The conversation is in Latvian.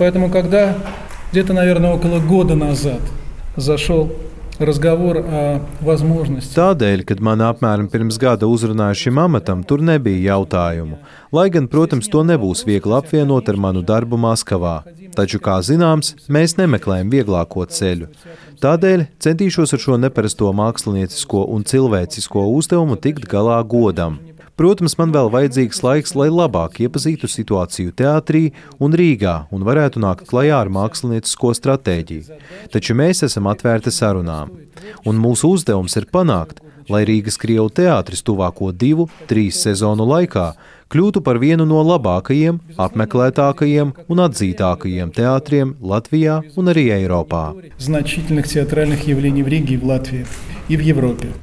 Поэтому, когда где-то, наверное, около года назад зашел разговор о возможности. Tādēļ, kad man apmēram pirms gada uzrunāja šim amatam, tur nebija jautājumu. Lai gan, protams, to nebūs viegli apvienot ar manu darbu Maskavā. Taču, kā zināms, mēs nemeklējam vieglāko ceļu. Tādēļ centīšos ar šo neparasto māksliniecisko un cilvēcisko uzdevumu tikt galā godam. Protams, man vēl vajadzīgs laiks, lai labāk iepazītu situāciju teātrī un Rīgā un varētu nākt klajā ar māksliniecisko stratēģiju. Taču mēs esam atvērti sarunām. Un mūsu uzdevums ir panākt, lai Rīgas Krievu teātris tuvāko 2-3 sezonu laikā kļūtu par vienu no labākajiem, apmeklētākajiem un atzītākajiem teātriem Latvijā un arī Eiropā. Значительных театральных явлений в Риге и в Латвии, и в Европе.